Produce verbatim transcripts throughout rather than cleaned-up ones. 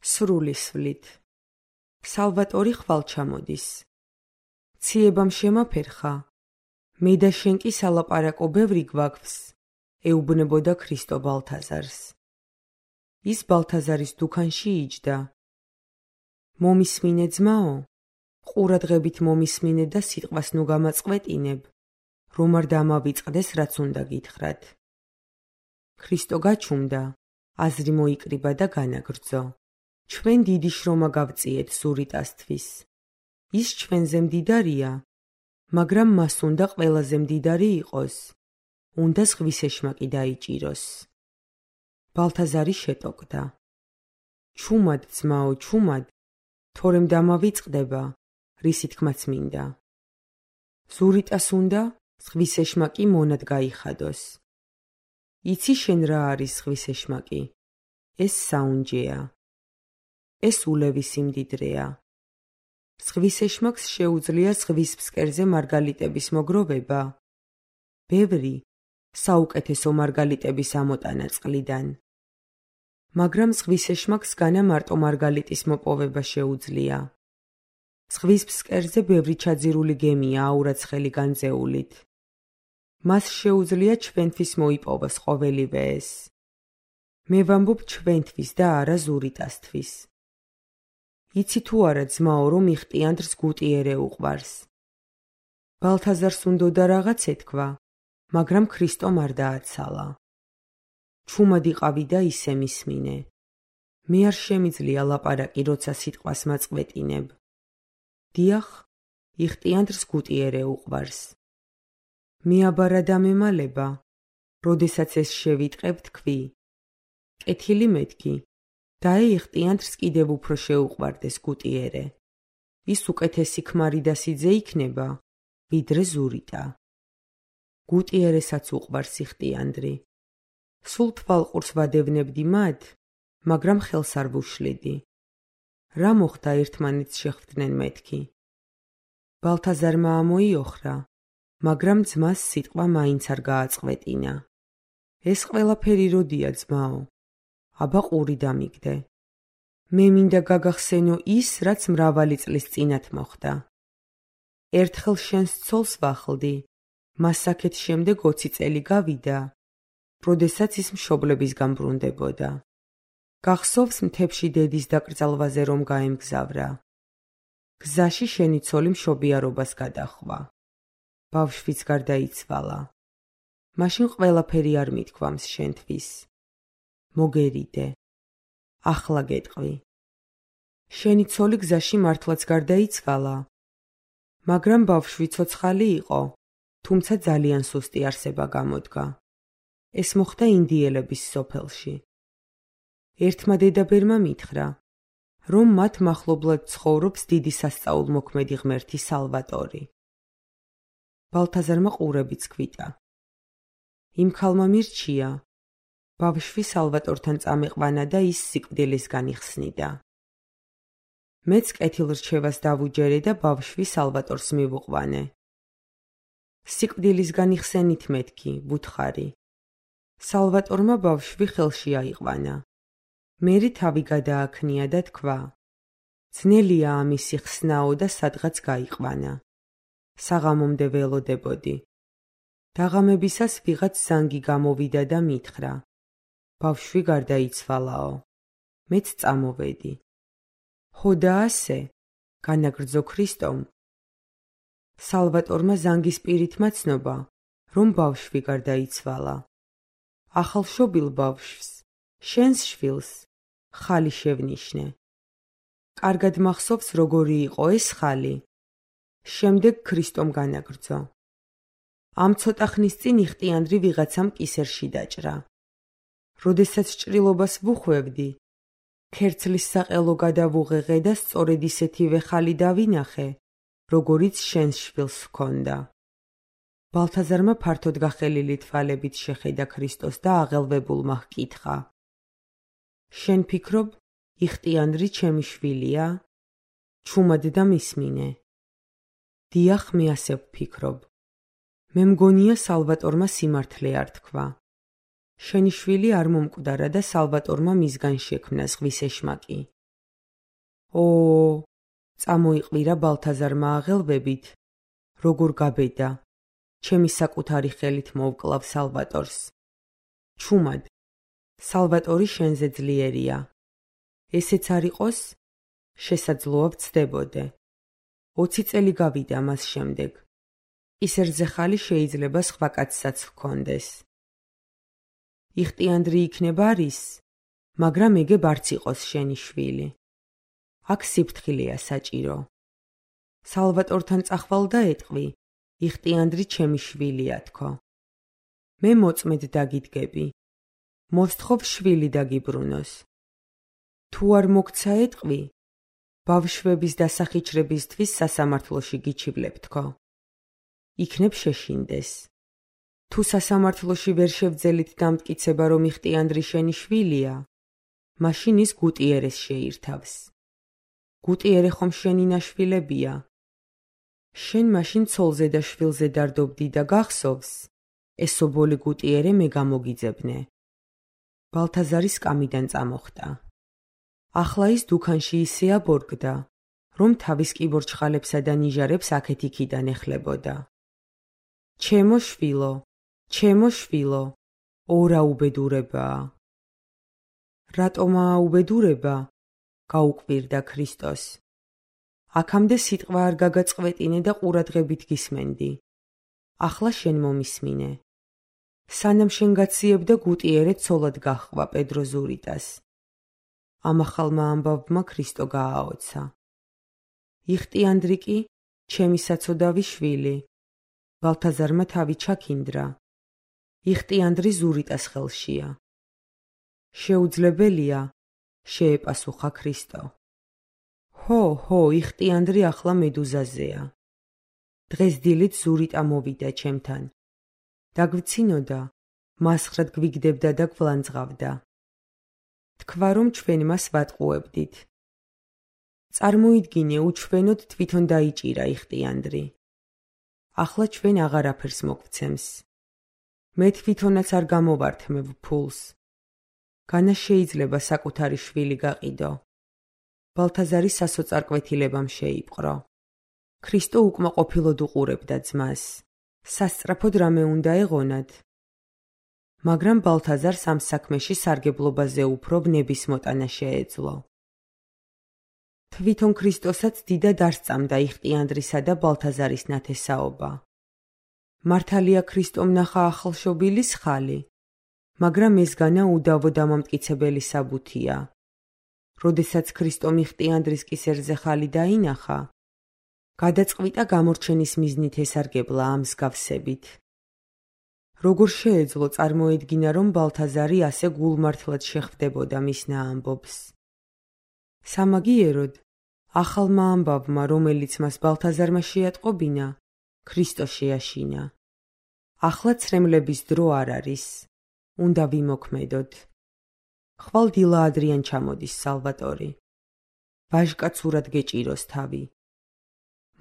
სრული სვლით. სალვატორი ხვალ ჩამოდის. ციებამ შემაფერხა, მე და შენ კი სალაპარაკო ბევრი გვაქვს, ეუბნებოდა ქრისტო ბალთაზარს. ის ბალთაზარის დუქანში იჯდა. მომისმინე ძმაო, ყურადღებით მომისმინე და სიტყვას ნუ გამაწყვეტინებ, რომ არ დამავიწყდეს რაც უნდა გითხრათ. ქრისტო გაჩუმდა, აზრი მოიკრიბა და განაგრძო. ჩვენ დიდი შრომა გავწიეთ ზურიტასთვის. ის ჩვენზე მდიდარია, მაგრამ მას უნდა ყველაზე მდიდარი იყოს. უნდა ზღვის ეშმაკი დაიჭიროს. ბალთაზარი შეტოკდა. ჩუმად ძმაო, ჩუმად, თორემ დამავიწყდება, რისი თქმაც მინდა. ზურიტას უნდა ზღვის ეშმაკი მონად გაიხადოს. იცი შენ რა არის ზღვის ეშმაკი? ეს საუნჯეა. ეს ულევი სიმდიდრეა. ზღვის ეშმაკს შეუძლია ზღვის ფსკერზე მარგალიტების მოგროვება. ბევრი, საუკეთესო მარგალიტების ამოტანა წყლიდან. მაგრამ ზღვის ეშმაკს განა მარტო მარგალიტის მოპოვება შეუძლია. ზღვის ფსკერზე ბევრი ჩაძირული გემია აურაცხელი განძეულით. მას შეუძლია ჩვენთვის მოიპოვოს ყოველივე ეს. მე ვამბობ ჩვენთვის და არა ზურიტასთვის. იცი თუ არა ძმაო, რომ იხტიანდრს გუტიერე უყვარს. ბალთაზარს უნდოდა რაღაც ეთქვა, მაგრამ ქრისტომ არ დააცალა. ჩუმად იყავი და ისე მისმინე. მე არ შემიძლია ლაპარაკი, როცა სიტყვას მაწყვეტინებ. დიახ, იხტიანდრს გუტიერე უყვარს. მიაბარა და მემალება, როდესაც ეს შევიტყებ თქვი. კეთილი მეთქი, და იხტიანდრს კიდევ უფრო შეუყვარდეს გუტიერე. ის უკეთესი ქმარი და სიძე იქნება, ვიდრე ზურიტა. გუტიერესაც უყვარს იხტიანდრი. სულ თვალყურს ვადევნებდი მათ, მაგრამ ხელს არ ვუშლიდი. რა მოხდა ერთმანეთს შეხვდნენ მეთქი? ბალთაზარმა ამოიოხრა, მაგრამ ძმას სიტყვა მაინც არ გააწყვეტინა. ეს ყველაფერი როდია ძმაო? აბა ყური დამიგდე. მე მინდა გაგახსენო ის, რაც მრავალი წლის წინათ მოხდა. ერთხელ შენს ცოლს ვახლდი, მას აქეთ შემდეგ ოცი წელი გავიდა, როდესაც ის მშობლებისგან ბრუნდებოდა. გახსოვს მთებში დედის დაკრძალვაზე რომ გაემგზავრა. გზაში შენი ცოლი მშობიარობას გადახვა. ბავშვიც გარდაიცვალა. მაშინ ყველაფერი არ მithქვამს შენთვის. მოგერიდე. ახლა გეტყვი. შენი ცოლი გზაში მართლაც გარდაიცვალა, მაგრამ ბავშვი ცოცხალი იყო, თუმცა ძალიან სუსტი არსება გამოდგა. ეს მოხდა ინდიელების სოფელში. ერთმა დედაბერმა მითხრა, რომ მათ მახლობლად ცხოვრობს დიდი სასწაულმოქმედი ღმერთი სალვატორი. ბალთაზარმა ყურებიც ქვიტა. იმ ქალმა მირჩია, ბავშვი სალვატორთან წამეყვანა და ის სიკვდილისგან იხსნიდა. მეც კეთილრჩევას დავუჯერე და ბავშვი სალვატორს მივუყვანე. სიკვდილისგან იხსენით მეთქი, ვუთხარი. სალვატორმა ბავშვი ხელში აიყვანა. მერე თავი გადააქნია და თქვა, ძნელია ამისი ხსნაო და სადღაც გაიყვანა. საღამომდე ველოდებოდი. დაღამებისას ვიღაც ზანგი გამოვიდა და მითხრა, ბავშვი გარდაიცვალაო. მეც წამოვედი. ხო და ასე, განაგრძო ქრისტომ. სალვატორმა ზანგის პირითმა ცნობა, რომ ბავშვი გარდაიცვალა. ახალშობილ ბავშვს, შენს შვილს, ხალი შევნიშნე. კარგად მახსოვს როგორი იყო ეს ხალი. შემდეგ ქრისტომ განაგრძო. ამ ცოტა ხნის წინ იხტიანდრი ვიღაცამ კისერში დაჭრა. როდესაც ჭრილობას ვუხვევდი, ქერცლის საყელო გადავუღեղე და სწორედ ისეთივე ხალი დავინახე, როგორიც შენს შვილს ჰქონდა. ბალთაზარმა ფართოდ გახელილი თვალებით შეხედა ქრისტოს და აღელვებულმა ჰკითხა. შენ ფიქრობ, იხტიანდრი ჩემი შვილია? ჩუმად და მისმინე. დიახ, მე ასე ვფიქრობ. მე მგონია სალვატორმა სიმართლე არ თქვა. შენი შვილი არ მომკვდარა და სალვატორმა მისგან შექმნა ზღვის ეშმაკი. ო, წამოიყვირა ბალთაზარმა აღელვებით, როგორ გაბედა, ჩემი საკუთარი ხელით მოვკლავ სალვატორს. ჩუმად, სალვატორი შენზე ძლიერია. ესეც არ იყოს, შესაძლოა ვცდებოდე. ოცი წელი გავიდა მას შემდეგ. ის რძეხალი შეიძლება სხვა კაცსაც ჰქონდეს. იხტიანდრი იქნება არის, მაგრამ ეგებ არც იყოს შენი შვილი. აქ სიფრთხილეა საჭირო. სალვატორთან წახვალ და ეტყვი, იხტიანდრი ჩემი შვილია თქო. მე მოწმედ დაგიდგები. მოსთხოვ შვილი დაგიბრუნოს. თუ არ მოგცა ეტყვი, ბავშვების დასახიჩრებისთვის სასამართლოში გიჩივლებ თქო. იქნებ შეშინდეს. თუ სასამართლოში ვერ შევძელით დამტკიცება, რომ იხტიანდრი შენი შვილია, მაშინ ის გუტიერეს შეირთავს. გუტიერე ხომ შენი ნაშვილებია. შენ მაშინ ცოლზე და შვილზე დარდობდი და გახსოვს, ესობოლი გუტიერე მე გამოგიძებნე. ბალთაზარი სკამიდან წამოხტა. ახლა ის დუქანში ისე აბორგდა, რომ თავის კიბორჩხალებსა და ნიჟარებს აქეთ-იქიდან ეხლებოდა. ჩემო შვილო, ჩემო შვილო, ორა უბედურებაა. რატომაა უბედურება? გაუკვირდა ქრისტოს. აქამდე სიტყვა არ გაგაწყვეტინე და ყურადღებით გისმენდი. ახლა შენ მომისმინე. სანამ შენ გაციებდა გუტიერე ცოლად გაჰყვა პედრო ზურიტას. ამ ახალმა ამბავმა ქრისტო გააოცა. იხტიანდრი კი ჩემი საცოდავი შვილი. ბალთაზარმა თავი ჩაქინდრა. იხტიანდრი ზურიტას ხელშია. შეუძლებელია, შეეპასუხა ქრისტო. ჰო, ჰო, იხტიანდრი ახლა მედუზაზეა. დღეს დილით ზურიტა მოვიდა ჩემთან. დაგვიცინოდა, მასხრად გვიგდებდა და გვლანძღავდა. თქვა, რომ ჩვენ მას ვატყუებდით. წარმოიდგინე, უჩვენოდ თვითონ დაიჭირა იხტიანდრი. ახლა ჩვენ აღარაფერს მოგвცემს. მე თვითონაც არ გამოვართმევ ფულს. განა შეიძლება საკუთარი შვილი გაყიდო. ბალთაზარი სასოწარკვეთილებამ შეიპყრო. ქრისტო უკმაყოფილოდ უყურებდა ძმას. სასწრაფოდ რამე უნდა ეღონათ. მაგრამ ბალთაზარს ამ საქმეში სარგებლობაზე უფრო ვნების მოტანა შეეძლო. თვითონ ქრისტოსაც დიდად არ სწამდა იხტიანდრისა და ბალთაზარის ნათესაობა. მართალია ქრისტომ ნახა ახალშობილის ხალი, მაგრამ ეს განა უდავო დამამტკიცებელი საბუთია. როდესაც ქრისტომ იხტიანდრის კისერზე ხალი დაინახა, გადაწყვიტა გამორჩენის მიზნით ესარგებლა ამ მსგავსებით. როგორ შეეძლო წარმოედგინა, რომ ბალთაზარი ასე გულმართლად შეხვდებოდა მის ნაამბობს. სამაგიეროდ, ახალმა ამბავმა, რომელიც მას ბალთაზარმა შეატყობინა, ქრისტო შეაშინა. ახლა ცრემლების დრო არ არის. უნდა ვიმოქმედოთ. ხვალ დილა ადრიან ჩამოდის სალვატორი. ვაჟკაცურად გეჭიროს თავი.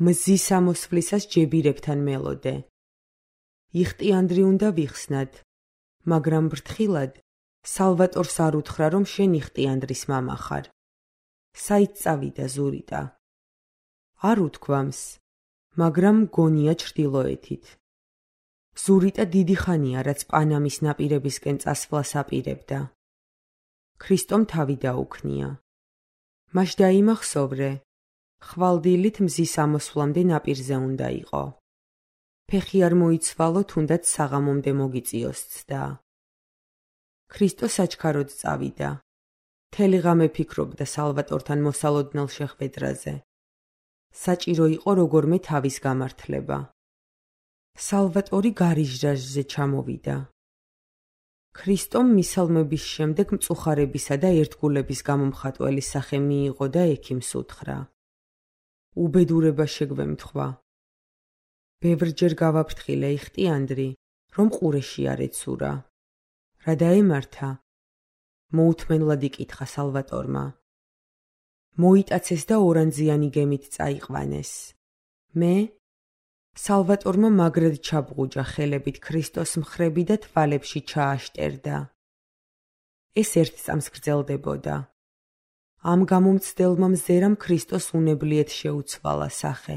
მზის ამოსვლისას ჯებირებთან მელოდე. იხტიანდრი უნდა ვიხსნად, მაგრამ ბრთხილად სალვატორს არ უთხრა, რომ შენ იხტიანდრის მამა ხარ. საით წავიდა ზურიტა? არ უთქვამს, მაგრამ გონია ჩრდილოეთით. ზურიტა დიდი ხანია, რაც პანამის ნაპირებისკენ წასვლას აპირებდა. ქრისტომ თავი დაუქნია. მაშ დაიმახსოვრე, ხვალდილით მზის ამოსვლამდე ნაპირზე უნდა იყო. ფეხი არ მოიცვალო, თუნდაც საღამომდე მოგიწიოს ცდა. ქრისტო საჩქაროდ წავიდა. მთელი ღამე ფიქრობდა სალვატორთან მოსალოდნელ შეხვედრაზე. საჭირო იყო როგორმე თავის გამართლება. სალვატორი გარიჟრაჟზე ჩამოვიდა. ქრისტომ მისალმების შემდეგ მწუხარებისა და ერთგულების გამომხატველი სახე მიიღო და ექიმს უთხრა. უბედურება შეგვემთხვა. ბევრჯერ გავაფრთხილე იხტიანდრი, რომ ყურეში არ ეცურა. რა დაემართა? მოუთმენლად იკითხა სალვატორმა. მოიტაცეს და ორანძიანი გემით წაიყვანეს. მე? სალვატორმა მაგრად ჩაბღუჯა ხელებით ქრისტოს მხრები და თვალებში ჩააშტერდა. ეს ერთ წამს გრძელდებოდა. ამ გამომცდელმა მზერამ ქრისტოს უნებლიეთ შეუცვალა სახე.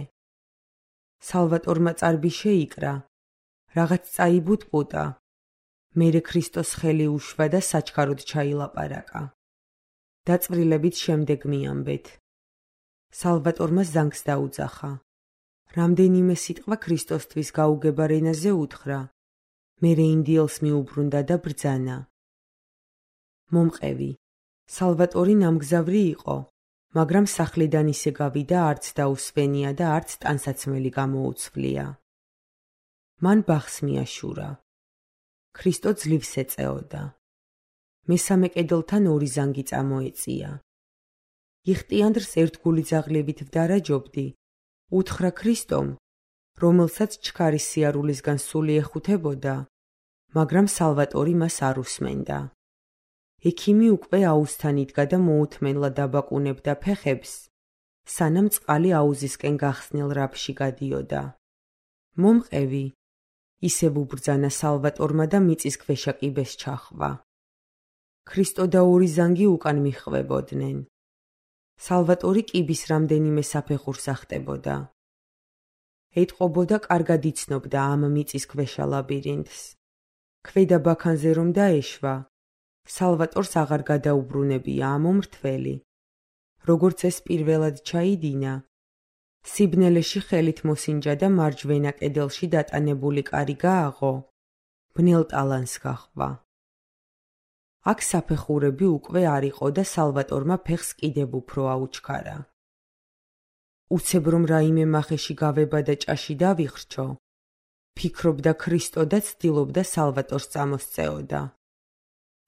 სალვატორმა წარბი შეიკრა, რაღაც წაიბუტყუტა, მერე ქრისტოს ხელი უშვა და საჩქაროდ ჩაილაპარაკა. დაწვრილებით შემდეგ მიამბეთ. სალვატორმა ზანგს დაუძახა. რამდენიმე სიტყვა ქრისტოსთვის გაუგებარ ენაზე უთხრა, მერე ინდიელს მიუბრუნდა და ბრძანა. მომყევი, სალვატორი ნამგზავრი იყო, მაგრამ სახლიდან ისე გავიდა, არც დაუსვენია და არც ტანსაცმელი გამოუცვლია. მან ბახს მიაშურა. ქრისტო ძლივს ეწეოდა. მესამე კედელთან ორი ზანგი წამოეწია. იხტიანდრს ერთგული ძაღლებით ვდარაჯობდი, უთხრა ქრისტომ, რომელსაც ჩქარის სიარულისგან სული ეხუთებოდა, მაგრამ სალვატორი მას არ უსმენდა. ექიმი უკვე აუზთან იდგა და მოუთმენლა დაბაკუნებდა ფეხებს, სანამ წყალი აუზისკენ გახსნილ რაფში გადიოდა. მომყევი, ისევ უბრძანა სალვატორმა და მიწის ქვეშა კიბეს ჩახვა. ქრისტო და ორი ზანგი უკან მიჰყვებოდნენ. სალვატორი კიბის რამდენიმე საფეხურს ახტებოდა. ეტყობოდა კარგად იცნობდა ამ მიწის ქვეშა ლაბირინთს. ქვედა ბაქანზე რომ დაეშვა, სალვატორს აღარ გადაუბრუნებია ამ მომრთველი. როგორც ეს პირველად ჩაიდინა, სიბნელეში ხელით მოსინჯა და მარჯვენა კედელში დატანებული კარი გააღო, ბნელ ტალანს გაჰყვა. აქ საფეხურები უკვე არ იყო და სალვატორმა ფეხს კიდევ უფრო აუჩქარა. უცებ რომ რაიმე მახეში გავება და ჭაში დავიხრჩო, ფიქრობდა ქრისტო და ცდილობდა სალვატორს წამოსწეოდა.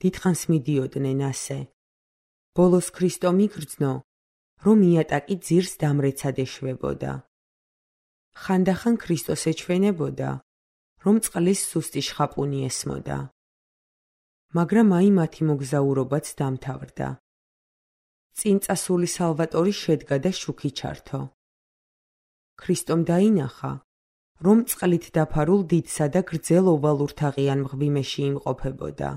დიდხანს მიდიოდნენ ასე. ბოლოს ქრისტო მიგრძნო, რომ იატაკი ძირს დამრეცად ეშვებოდა. ხანდახან ქრისტოს ეჩვენებოდა, რომ წყლის სუსტი შხაპუნი ესმოდა. მაგრამ აი მათი მოგზაურობაც დამთავრდა. წინ წასული სალვატორი შედგა და შუქი ჩართო. ქრისტომ დაინახა, რომ წყლით დაფარულ დიდსა და გრძელ ოვალურ თაღიან მღვიმეში იმყოფებოდა.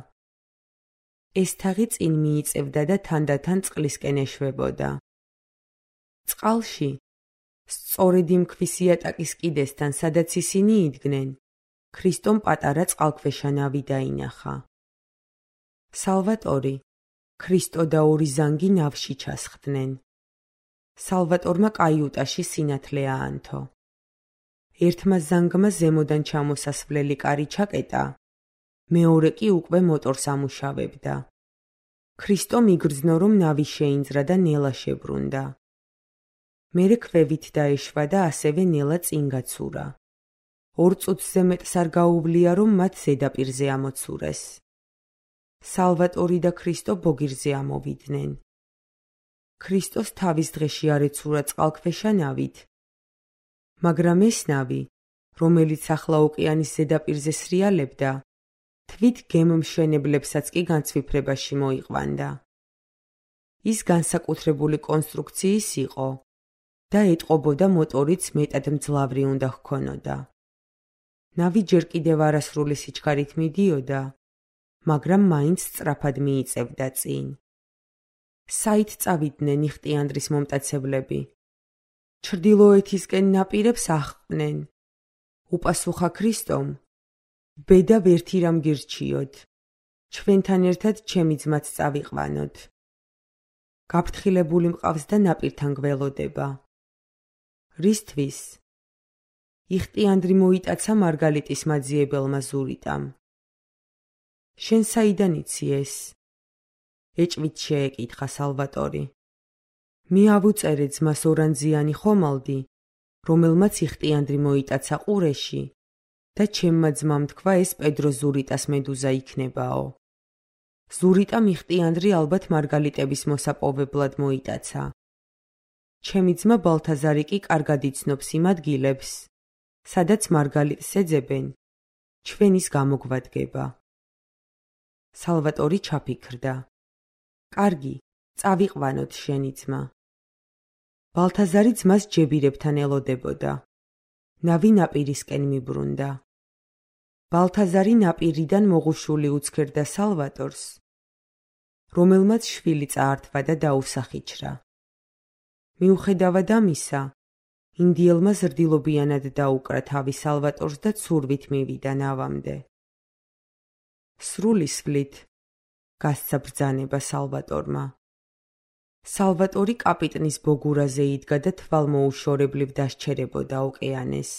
ეს თაღი წინ მიიწევდა და თანდათან წყლისკენ ეშვებოდა. წყალში, სწორედ იმ ქვის იატაკის კიდესთან, სადაც ისინი იდგნენ, ქრისტომ პატარა წყალქვეშა ნავი დაინახა. სალვატორი, ქრისტო და ორი ზანგი ნავში ჩასხდნენ. სალვატორმა კაიუტაში სინათლე აანთო. ერთმა ზანგმა ზემოდან ჩამოსასვლელი კარი ჩაკეტა, მეორე კი უკვე მოტორს ამუშავებდა. ქრისტო მიგრძნო, რომ ნავი შეინძრა და ნელა შებრუნდა. მერე ქვევით დაეშვა და ასევე ნელა წინ გაცურა. ორ წუთზე მეტს არ გაუვლია, რომ მათ ზედაპირზე ამოცურეს. სალვატორი და ქრისტო ბოგირზე ამოვიდნენ. ქრისტოს თავის დღეში არ ეცურა წყალქვეშა ნავით, მაგრამ ეს ნავი, რომელიც ახლა ოკეანის ზედაპირზე სრიალებდა, თვით გემმშენებლებსაც კი განცვიფრებაში მოიყვანდა. ის განსაკუთრებული კონსტრუქციის იყო და ეტყობოდა მოტორიც მეტად მძლავრი უნდა ჰქონოდა. ნავი ჯერ კიდევ არასრული სიჩქარით მიდიოდა, მაგრამ მაინც სწრაფად მიიწევდა წინ. საით წავიდნენ იხტიანდრის მომტაცებლები? ჩრდილოეთისკენ ნაპირებს აღყნენ. უპასუხა ქრისტომ, ბედა ვერთი რამ გირჩიოთ, ჩვენთან ერთად ჩემი ძმაც წავიყვანოთ. გაფრთხილებული მყავს და ნაპირთან გველოდება. რისთვის? იხტიანდრი მოიტაცა მარგალიტის მაძიებელმა ზურიტამ. შენ საიდან იცი ეს? ეჭვით შეეკითხა სალვატორი. მე ავუწერე ძმას ორანძიანი ხომალდი, რომელმაც იხტიანდრი მოიტაცა ყურეში და ჩემმა ძმამ თქვა ეს პედრო ზურიტას მედუზა იქნებაო. ზურიტამ იხტიანდრი ალბათ მარგალიტების მოსაპოვებლად მოიტაცა. ჩემი ძმა ბალთაზარი კი კარგად იცნობს იმ ადგილებს, სადაც მარგალიტს ეძებენ, ჩვენ ის გამოგვადგება. სალვატორი ჩაფიქრდა. კარგი, წავიყვანოთ შენი ძმა. ბალთაზარი ძმას ჯებირებთან ელოდებოდა. ნავი ნაპირისკენ მიბრუნდა. ბალთაზარი ნაპირიდან მოღუშული უცქერდა სალვატორს, რომელმაც შვილი წაართვა და დაუსახიჩრა. მიუხედავად ამისა, ინდიელმა ზრდილობიანად დაუკრა თავი სალვატორს და ცურვით მივიდა ნავამდე. სრული სვლით გასცა ბრძანება სალვატორმა. სალვატორი კაპიტნის ბოგურაზე იდგა და თვალმოუშორებლივ დასჩერებოდა ოკეანეს.